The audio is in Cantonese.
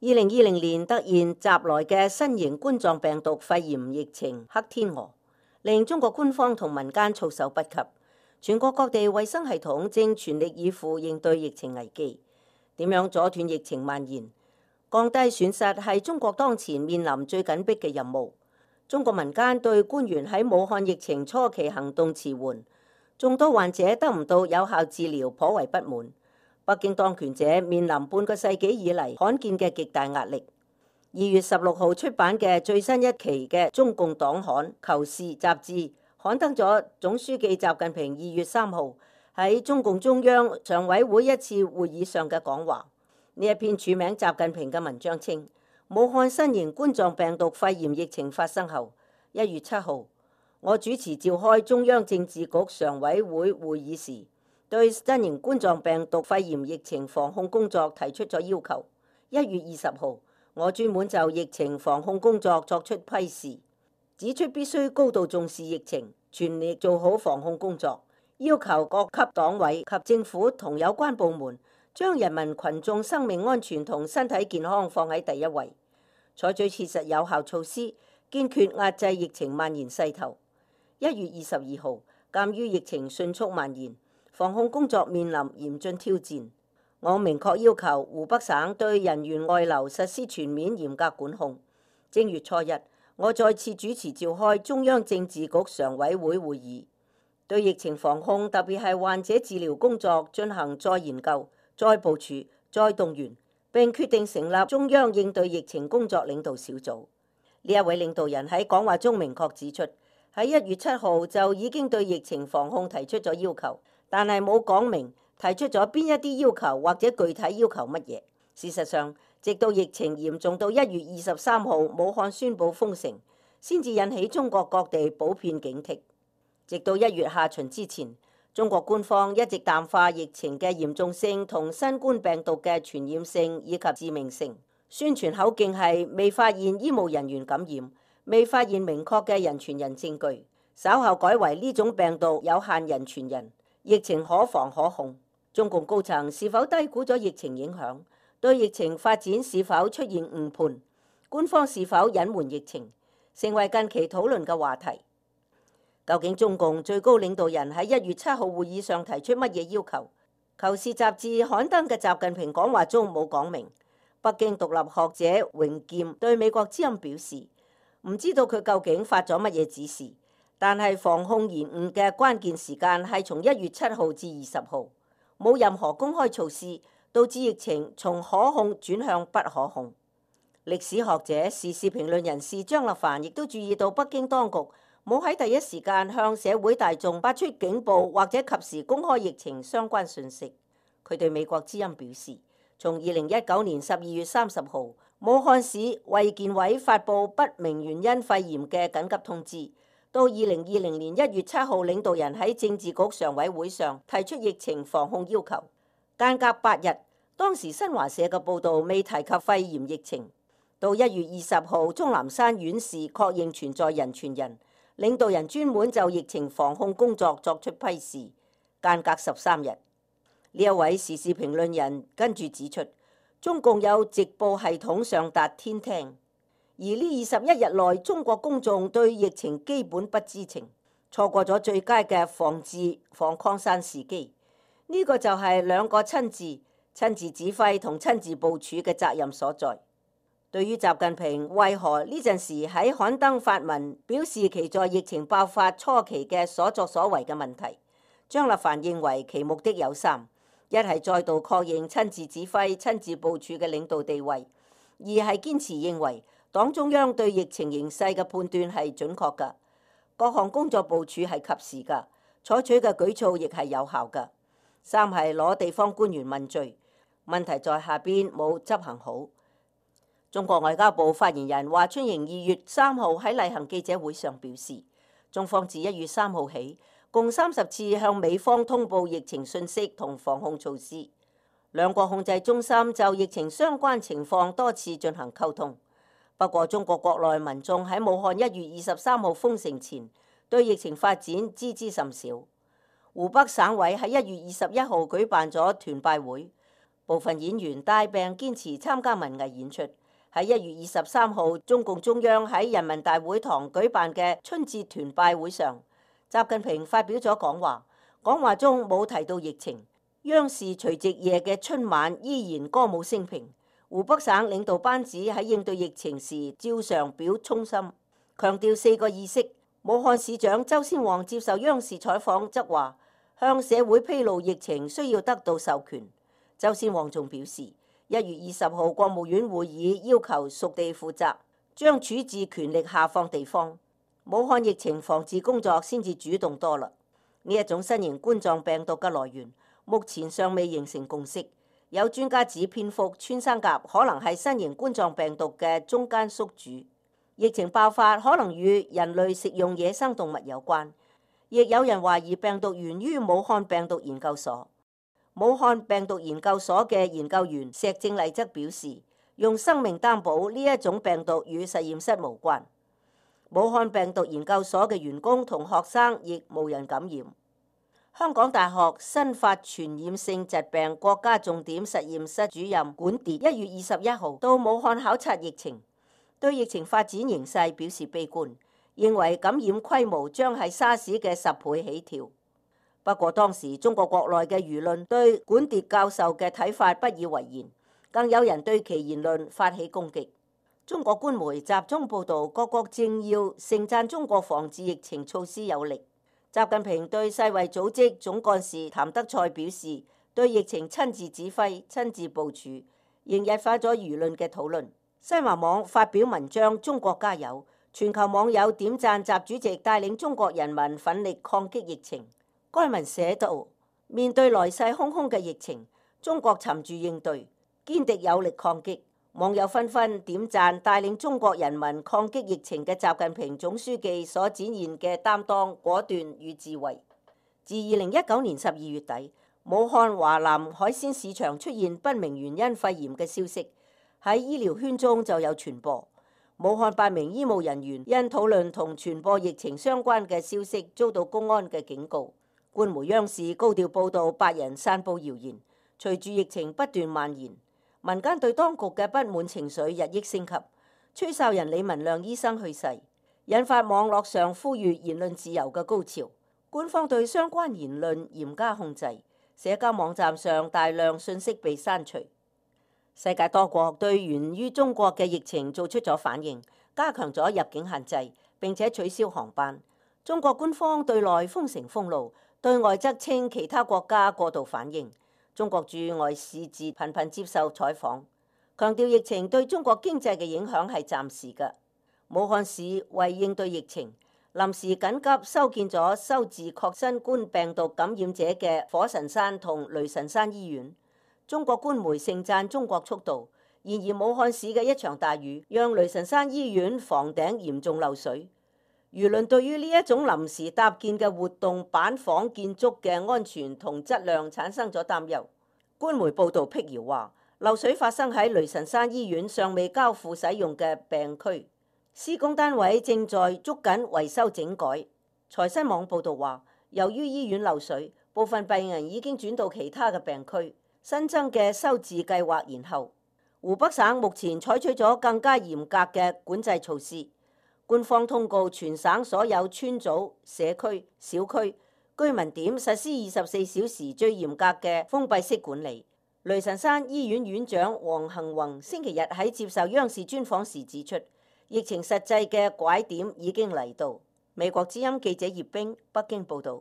2020年突然襲來嘅新型冠狀病毒肺炎疫情黑天鵝，令中國官方同民間措手不及。全國各地衛生系統正全力以赴應對疫情危機。點樣阻斷疫情蔓延、降低損失係中國當前面臨最緊迫嘅任務。中國民間對官員喺武漢疫情初期行動遲緩，眾多患者得唔到有效治療，頗為不滿。北京當權者面臨半個世紀以嚟罕見嘅極大壓力。2月16號出版嘅最新一期嘅中共黨刊《求是》雜誌，刊登咗總書記習近平2月3號喺中共中央常委會一次會議上嘅講話。呢一篇署名習近平嘅文章稱，武漢新型冠狀病毒肺炎疫情發生後，1月7號，我主持召開中央政治局常委會會議時，對新型冠狀病毒肺炎疫情防控工作提出咗要求。1月20號，我專門就疫情防控工作作出批示，指出必須高度重視疫情，全力做好防控工作，要求各級黨委及政府同有關部門將人民群眾生命安全同身體健康放喺第一位，採取切實有效措施，堅決壓制疫情蔓延勢頭。1月22號，鑑於疫情迅速蔓延，防控工作面臨嚴峻挑戰，我明確要求湖北省對人員外流實施全面嚴格管控。正月初一，我再次主持召開中央政治局常委會會議，對疫情防控，特別係患者治療工作進行再研究、再部署、再動員，並決定成立中央應對疫情工作領導小組。呢一位領導人喺講話中明確指出，喺1月7號就已經對疫情防控提出咗要求，但係冇講明提出咗邊一啲要求或者具體要求乜嘢。事實上，直到疫情嚴重到1月23號武漢宣布封城，先至引起中國各地普遍警惕。直到1月下旬之前，中國官方一直淡化疫情嘅嚴重性同新冠病毒嘅傳染性以及致命性，宣傳口徑係未發現醫務人員感染，未發現明確嘅人傳人證據，稍後改為呢種病毒有限人傳人，疫情可防可控。中共高層是否低估咗疫情影響？對疫情發展是否出現誤判？官方是否隱瞞疫情？成為近期討論嘅話題。究竟中共最高領導人喺1月7號會議上提出乜嘢要求？求是雜誌刊登嘅習近平講話中冇講明。北京獨立學者榮劍對美國之音表示，唔知道佢究竟發咗乜嘢指示，但係防控延誤嘅關鍵時間係從1月7號至20號，冇任何公開措施，導致疫情從可控轉向不可控。歷史學者、時事評論人士張立凡亦都注意到北京當局冇喺第一時間向社會大眾發出警報或者及時公開疫情相關訊息。佢對美國之音表示，從2019年12月30號武漢市衛健委發布不明原因肺炎嘅緊急通知，到2020年1月7號領導人喺政治局常委會上提出疫情防控要求，間隔8日，當時新華社嘅報導未提及肺炎疫情。到1月20號，鍾南山院士確認存在人傳人，領導人專門就疫情防控工作作出批示，間隔13日。呢一位時事評論人跟住指出，中共有直播系統上達天聽，而呢21日內中國公眾對疫情基本不知情，錯過咗最佳嘅防治防擴散時機。呢個就係兩個親自指揮同親自部署嘅責任所在。對於習近平為何呢陣時喺刊登發文表示其在疫情爆發初期嘅所作所為嘅問題，張立凡認為其目的有三：一係再度確認親自指揮、親自部署嘅領導地位；二係堅持認為黨中央對疫情形勢嘅判斷係準確㗎，各項工作部署係及時㗎，採取嘅舉措亦係有效㗎；三係攞地方官員問罪，問題在下邊冇執行好。中國外交部發言人華春瑩2月3號喺例行記者會上表示，中方自1月3號起，共30次向美方通報疫情信息同防控措施，兩國控制中心就疫情相關情況多次進行溝通。不過，中國國內民眾喺武漢1月23號封城前，對疫情發展知之甚少。湖北省委喺1月21號舉辦咗團拜會，部分演員帶病堅持參加文藝演出。喺1月23號，中共中央喺人民大會堂舉辦嘅春節團拜會上，習近平發表咗講話，講話中冇提到疫情。央視除夕夜嘅春晚依然歌舞升平。湖北省領導班子喺應對疫情時照常表衷心，強調4個意識。武漢市長周先旺接受央視採訪則話，向社會披露疫情需要得到授權。周先旺仲表示，1月20號國務院會議要求屬地負責，將處置權力下放地方。武漢疫情防治工作先至主動多啦。呢一種新型冠狀病毒嘅來源，目前尚未形成共識。有專家指蝙蝠、穿山甲可能係新型冠狀病毒嘅中間宿主，疫情爆發可能與人類食用野生動物有關。亦有人懷疑病毒源於武漢病毒研究所。武漢病毒研究所嘅研究員石正麗則表示，用生命擔保呢一種病毒與實驗室無關。武漢病毒研究所嘅員工同學生亦無人感染。香港大學新發傳染性疾病國家重點實驗室主任管蝶1月21號到武漢考察疫情，對疫情發展形勢表示悲觀，認為感染規模將係沙士嘅10倍起跳。不過當時中國國內嘅輿論對管蝶教授嘅睇法不以為然，更有人對其言論發起攻擊。中國官媒集中報導各國政要盛讚中國防治疫情措施有力。習近平對世衛組織總幹事譚德塞表示，對疫情親自指揮、親自部署，仍引發咗輿論嘅討論。新華網發表文章《中國加油》，全球網友點讚習主席帶領中國人民奮力抗擊疫情。該文寫道：面對來勢洶洶嘅疫情，中國沉住應對，堅定有力抗擊。網友紛紛點讚帶領中國人民抗擊疫情嘅習近平總書記所展現嘅擔當、果斷與智慧。自2019年12月底，武漢華南海鮮市場出現不明原因肺炎嘅消息，喺醫療圈中就有傳播。武漢8名醫務人員因討論同傳播疫情相關嘅消息，遭到公安嘅警告。官媒央視高調報導8人散佈謠言。隨住疫情不斷蔓延，民間對當局嘅不滿情緒日益升級。吹哨人李文亮醫生去世，引發網絡上呼籲言論自由嘅高潮。官方對相關言論嚴加控制，社交網站上大量信息被刪除。世界多國對源於中國嘅疫情做出咗反應，加強咗入境限制，並且取消航班。中國官方對內封城封路，對外則稱其他國家過度反應。中國駐外使節頻頻接受採訪，強調疫情對中國經濟嘅影響係暫時嘅。武漢市為應對疫情，臨時緊急修建咗收治確新冠病毒感染者嘅火神山同雷神山醫院。中國官媒盛讚中國速度，然而武漢市嘅一場大雨，讓雷神山醫院房頂嚴重漏水。輿論對於呢一種臨時搭建嘅活動板房建築嘅安全同質量產生咗擔憂。官媒報導闢謠話，漏水發生喺雷神山醫院尚未交付使用嘅病區，施工單位正在捉緊維修整改。財新網報導話，由於醫院漏水，部分病人已經轉到其他嘅病區，新增嘅收治計劃延後。湖北省目前採取咗更加嚴格嘅管制措施。官方通告全省所有村組、社區、小區、居民點實施24小時最嚴格嘅封閉式管理。雷神山醫院院長黃幸宏星期日喺接受央視專訪時指出，疫情實際嘅拐點已經嚟到。美國之音記者葉冰北京報導。